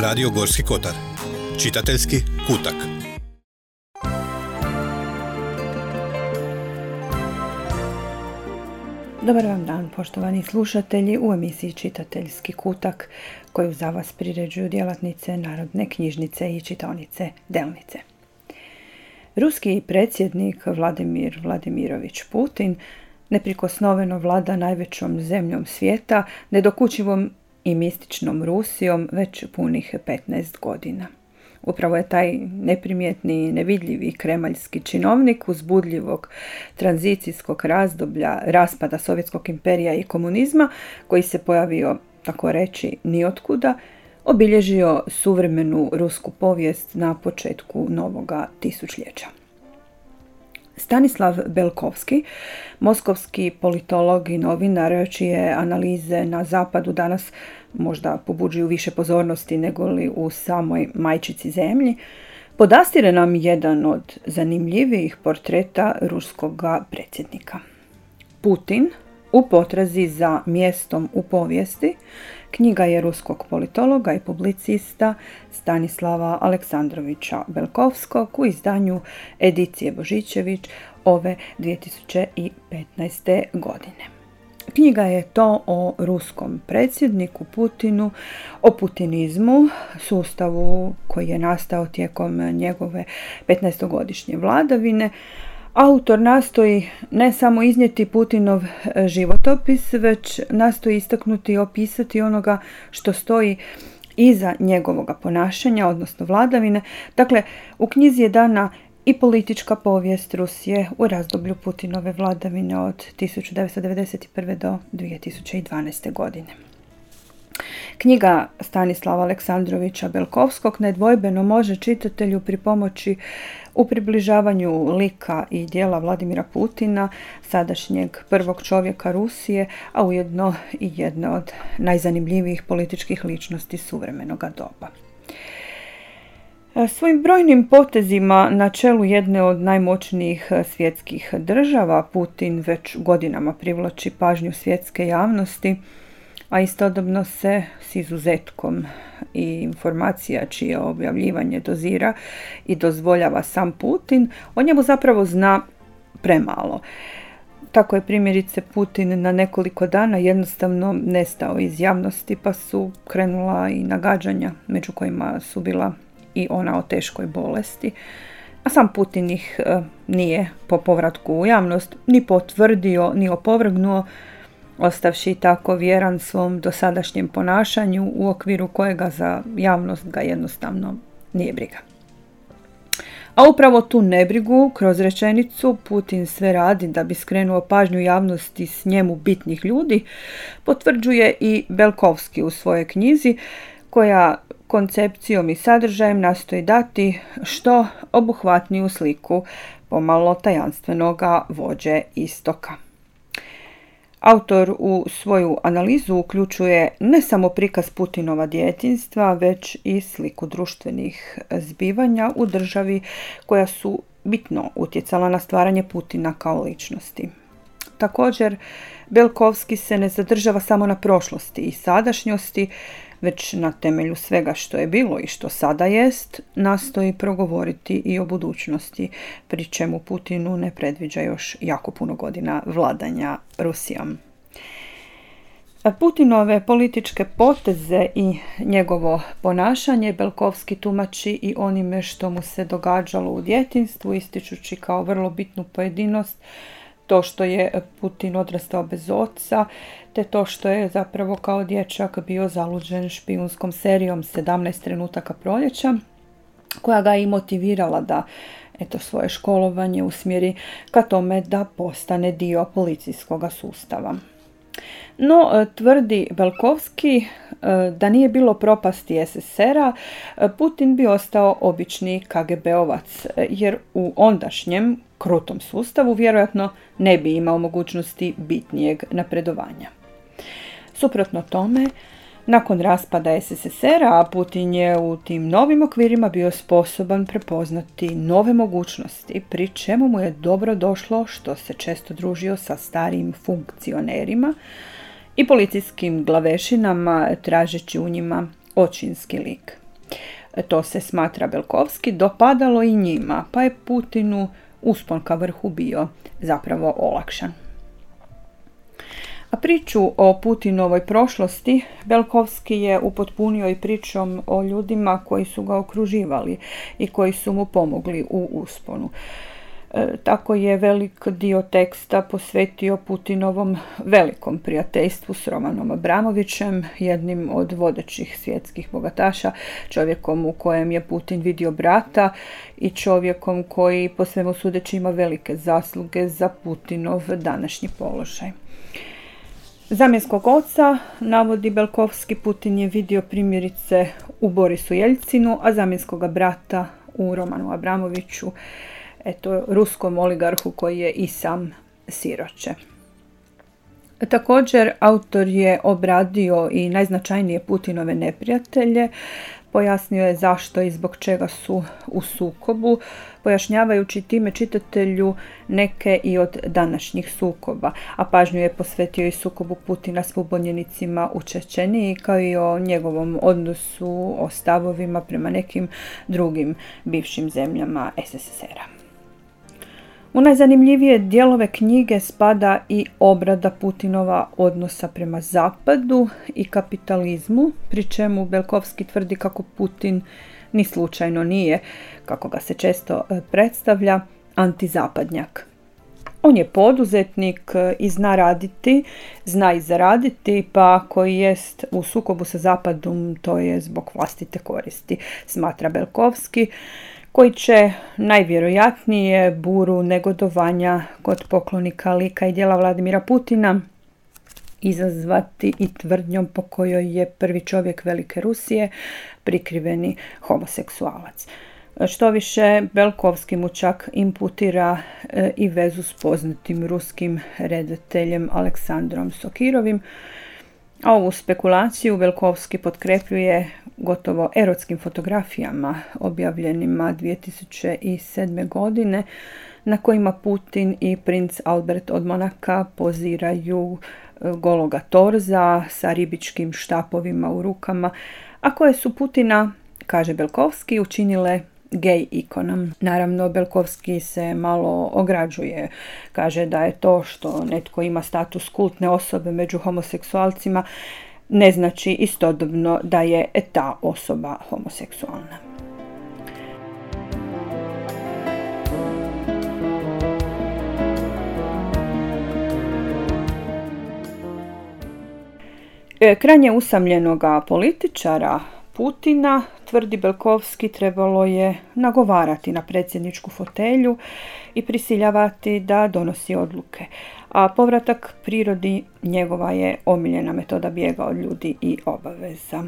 Radio Gorski kotar. Čitateljski kutak. Dobar vam dan, poštovani slušatelji, u emisiji Čitateljski kutak koju za vas priređuju djelatnice Narodne knjižnice i čitaonice Delnice. Ruski predsjednik Vladimir Vladimirović Putin neprikosnoveno vlada najvećom zemljom svijeta, nedokučivom i mističnom Rusijom već punih 15 godina. Upravo je taj neprimjetni, nevidljivi kremaljski činovnik uzbudljivog tranzicijskog razdoblja raspada Sovjetskog imperija i komunizma, koji se pojavio, tako reći, nijotkuda, obilježio suvremenu rusku povijest na početku novoga tisućljeća. Stanislav Belkovski, moskovski politolog i novinar, čije analize na zapadu danas možda pobuđuju više pozornosti nego li u samoj majčici zemlji, podastire nam jedan od zanimljivijih portreta ruskog predsjednika. Putin u potrazi za mjestom u povijesti knjiga je ruskog politologa i publicista Stanislava Aleksandrovića Belkovskog u izdanju Edicije Božićević ove 2015. godine. Knjiga je to o ruskom predsjedniku Putinu, o putinizmu, sustavu koji je nastao tijekom njegove 15-godišnje vladavine. Autor nastoji ne samo iznijeti Putinov životopis, već nastoji istaknuti i opisati onoga što stoji iza njegovoga ponašanja, odnosno vladavine. Dakle, u knjizi je dana i politička povijest Rusije u razdoblju Putinove vladavine od 1991. do 2012. godine. Knjiga Stanislava Aleksandrovića Belkovskog nedvojbeno može čitatelju pripomoći u približavanju lika i djela Vladimira Putina, sadašnjeg prvog čovjeka Rusije, a ujedno i jedne od najzanimljivijih političkih ličnosti suvremenoga doba. Svojim brojnim potezima na čelu jedne od najmoćnijih svjetskih država Putin već godinama privlači pažnju svjetske javnosti, a istodobno se s izuzetkom i informacija čije objavljivanje dozira i dozvoljava sam Putin, o njemu zapravo zna premalo. Tako je primjerice Putin na nekoliko dana jednostavno nestao iz javnosti, pa su krenula i nagađanja, među kojima su bila i ona o teškoj bolesti. A sam Putin ih nije po povratku u javnost ni potvrdio, ni opovrgnuo, ostavši tako vjeran svom dosadašnjem ponašanju u okviru kojega za javnost ga jednostavno nije briga. A upravo tu nebrigu kroz rečenicu Putin sve radi da bi skrenuo pažnju javnosti s njemu bitnih ljudi, potvrđuje i Belkovski u svojoj knjizi, koja koncepcijom i sadržajem nastoji dati što obuhvatniju sliku pomalo tajanstvenoga vođe istoka. Autor u svoju analizu uključuje ne samo prikaz Putinova djetinjstva, već i sliku društvenih zbivanja u državi koja su bitno utjecala na stvaranje Putina kao ličnosti. Također, Belkovski se ne zadržava samo na prošlosti i sadašnjosti, već na temelju svega što je bilo i što sada jest, nastoji progovoriti i o budućnosti, pri čemu Putinu ne predviđa još jako puno godina vladanja Rusijom. Putinove političke poteze i njegovo ponašanje Belkovski tumači i onime što mu se događalo u djetinjstvu, ističući kao vrlo bitnu pojedinost to što je Putin odrastao bez oca, te to što je zapravo kao dječak bio zaluđen špijunskom serijom 17 trenutaka proljeća, koja ga je i motivirala da svoje školovanje usmjeri ka tome da postane dio policijskog sustava. No, tvrdi Belkovski da nije bilo propasti SSSR-a, Putin bi ostao obični KGB-ovac, jer u ondašnjem krutom sustavu vjerojatno ne bi imao mogućnosti bitnijeg napredovanja. Suprotno tome, nakon raspada SSSR-a, Putin je u tim novim okvirima bio sposoban prepoznati nove mogućnosti, pri čemu mu je dobro došlo što se često družio sa starijim funkcionerima i policijskim glavešinama, tražeći u njima očinski lik. To se smatra Belkovski dopadalo i njima, pa je Putinu uspon ka vrhu bio zapravo olakšan. A priču o Putinovoj prošlosti Belkovski je upotpunio i pričom o ljudima koji su ga okruživali i koji su mu pomogli u usponu. Tako je velik dio teksta posvetio Putinovom velikom prijateljstvu s Romanom Abramovićem, jednim od vodećih svjetskih bogataša, čovjekom u kojem je Putin vidio brata i čovjekom koji po svemu sudeći ima velike zasluge za Putinov današnji položaj. Zamjenskog oca, navodi Belkovski, Putin je vidio primjerice u Borisu Jeljcinu, a zamjenskoga brata u Romanu Abramoviću, ruskom oligarhu koji je i sam siroče. Također, autor je obradio i najznačajnije Putinove neprijatelje, pojasnio je zašto i zbog čega su u sukobu, pojašnjavajući time čitatelju neke i od današnjih sukoba, a pažnju je posvetio i sukobu Putina s pobunjenicima u Čečeniji, kao i o njegovom odnosu, o stavovima prema nekim drugim bivšim zemljama SSSR-a. U najzanimljivije dijelove knjige spada i obrada Putinova odnosa prema Zapadu i kapitalizmu, pri čemu Belkovski tvrdi kako Putin ni slučajno nije, kako ga se često predstavlja, antizapadnjak. On je poduzetnik i zna raditi, zna i zaraditi, pa ako jest u sukobu sa Zapadom, to je zbog vlastite koristi, smatra Belkovski, koji će najvjerojatnije buru negodovanja kod poklonika lika i djela Vladimira Putina izazvati i tvrdnjom po kojoj je prvi čovjek Velike Rusije prikriveni homoseksualac. Štoviše, Belkovski mu čak imputira i vezu s poznatim ruskim redateljem Aleksandrom Sokirovim, a ovu spekulaciju Belkovski potkrepljuje gotovo erotskim fotografijama objavljenima 2007. godine, na kojima Putin i princ Albert od Monaka poziraju gologa torza sa ribičkim štapovima u rukama, a koje su Putina, kaže Belkovski, učinile gej ikonom. Naravno, Belkovski se malo ograđuje. Kaže da je to što netko ima status kultne osobe među homoseksualcima ne znači istodobno da je ta osoba homoseksualna. Krajnje usamljenoga političara Putina, tvrdi Belkovski, trebalo je nagovarati na predsjedničku fotelju i prisiljavati da donosi odluke, a povratak prirodi njegova je omiljena metoda bijega od ljudi i obaveza.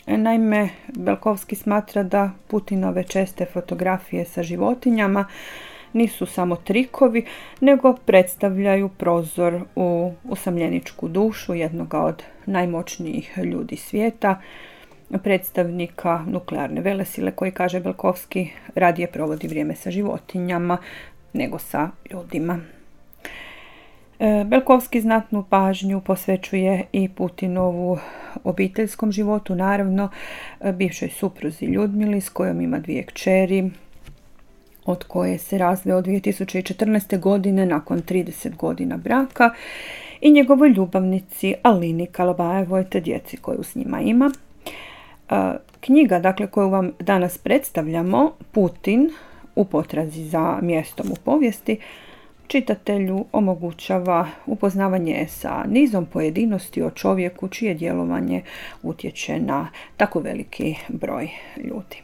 Naime, Belkovski smatra da Putinove česte fotografije sa životinjama nisu samo trikovi, nego predstavljaju prozor u usamljeničku dušu jednoga od najmoćnijih ljudi svijeta, predstavnika nuklearne velesile koji, kaže Belkovski, radije provodi vrijeme sa životinjama nego sa ljudima. Belkovski znatnu pažnju posvećuje i Putinovu obiteljskom životu, naravno bivšoj supruzi Ljudmili s kojom ima 2 kćeri, od koje se razveo 2014. godine nakon 30 godina braka, i njegovoj ljubavnici Alini Kalabajevoj te djeci koju s njima ima. Knjiga, dakle, koju vam danas predstavljamo, Putin u potrazi za mjestom u povijesti, čitatelju omogućava upoznavanje sa nizom pojedinosti o čovjeku čije djelovanje utječe na tako veliki broj ljudi.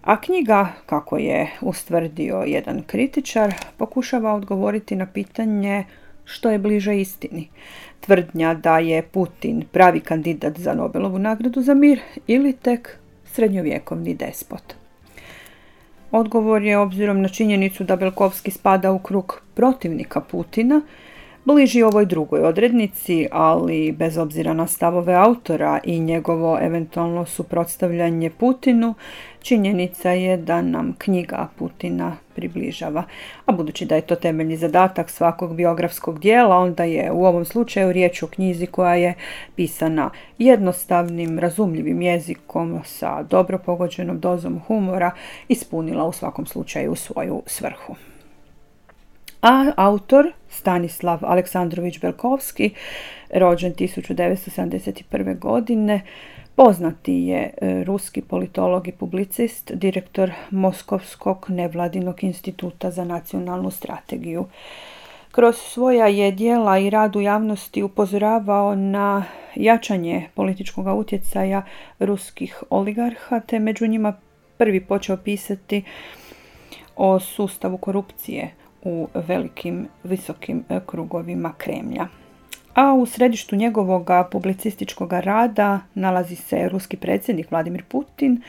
A knjiga, kako je ustvrdio jedan kritičar, pokušava odgovoriti na pitanje što je bliže istini. Tvrdnja da je Putin pravi kandidat za Nobelovu nagradu za mir ili tek srednjovjekovni despot. Odgovor je, obzirom na činjenicu da Belkovski spada u krug protivnika Putina, bliži ovoj drugoj odrednici, ali bez obzira na stavove autora i njegovo eventualno suprotstavljanje Putinu, činjenica je da nam knjiga Putina približava. A budući da je to temeljni zadatak svakog biografskog dijela, onda je u ovom slučaju riječ o knjizi koja je pisana jednostavnim, razumljivim jezikom sa dobro pogođenom dozom humora, ispunila u svakom slučaju svoju svrhu. A autor, Stanislav Aleksandrović Belkovski, rođen 1971. godine, poznati je ruski politolog i publicist, direktor Moskovskog nevladinog instituta za nacionalnu strategiju. Kroz svoja je djela i rad u javnosti upozoravao na jačanje političkog utjecaja ruskih oligarha, te među njima prvi počeo pisati o sustavu korupcije u velikim, visokim krugovima Kremlja. A u središtu njegovog publicističkog rada nalazi se ruski predsjednik Vladimir Putin,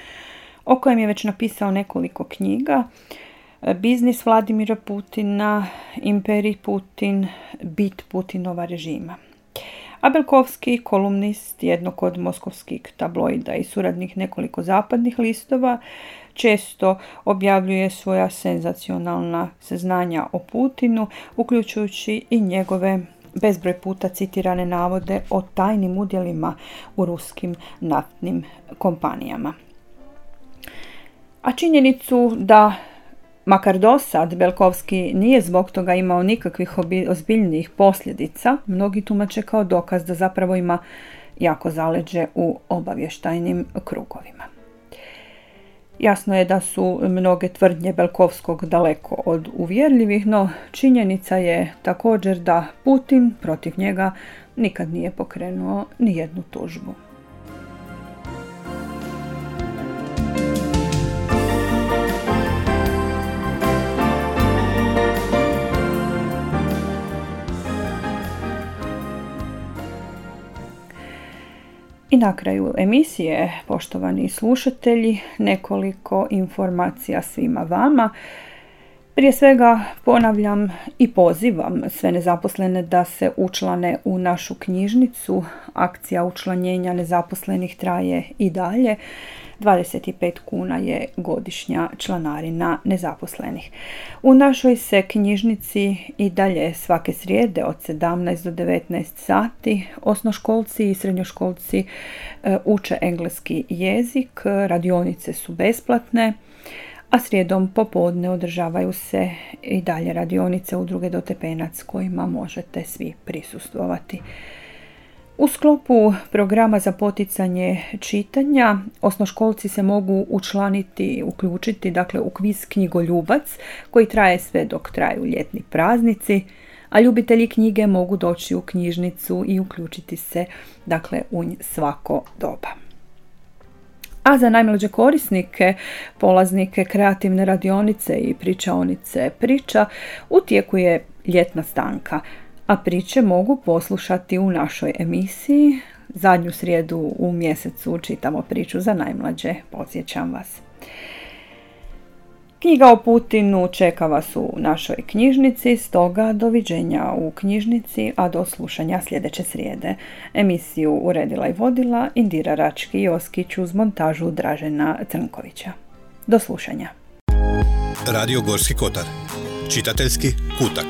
o kojem je već napisao nekoliko knjiga: Biznis Vladimira Putina, Imperij Putin, Bit Putinova režima. A Belkovski, kolumnist jednog od moskovskih tabloida i suradnik nekoliko zapadnih listova, često objavljuje svoja senzacionalna saznanja o Putinu, uključujući i njegove bezbroj puta citirane navode o tajnim udjelima u ruskim naftnim kompanijama. A činjenicu da, makar dosad, Belkovski nije zbog toga imao nikakvih ozbiljnijih posljedica, mnogi tumače kao dokaz da zapravo ima jako zaleđe u obavještajnim krugovima. Jasno je da su mnoge tvrdnje Belkovskog daleko od uvjerljivih, no činjenica je također da Putin protiv njega nikad nije pokrenuo ni jednu tužbu. I na kraju emisije, poštovani slušatelji, nekoliko informacija svima vama. Prije svega ponavljam i pozivam sve nezaposlene da se učlane u našu knjižnicu. Akcija učlanjenja nezaposlenih traje i dalje. 25 kuna je godišnja članarina nezaposlenih. U našoj se knjižnici i dalje svake srijede od 17 do 19 sati osnoškolci i srednjoškolci uče engleski jezik, radionice su besplatne, a srijedom popodne održavaju se i dalje radionice Udruge Dotepenac kojima možete svi prisustvovati. U sklopu programa za poticanje čitanja osnoškolci se mogu uključiti u kviz Knjigoljubac koji traje sve dok traju ljetni praznici, a ljubitelji knjige mogu doći u knjižnicu i uključiti se u svako doba. A za najmlađe korisnike, polaznike kreativne radionice i pričaonice priča, u tijeku je ljetna stanka, a priče mogu poslušati u našoj emisiji. Zadnju srijedu u mjesecu čitamo priču za najmlađe, podsjećam vas. Knjiga o Putinu čeka vas u našoj knjižnici, stoga doviđenja u knjižnici, a do slušanja sljedeće srijede. Emisiju uredila i vodila Indira Rački-Joskić uz montažu Dražena Crnkovića. Do slušanja. Radio Gorski Kotar. Čitateljski kutak.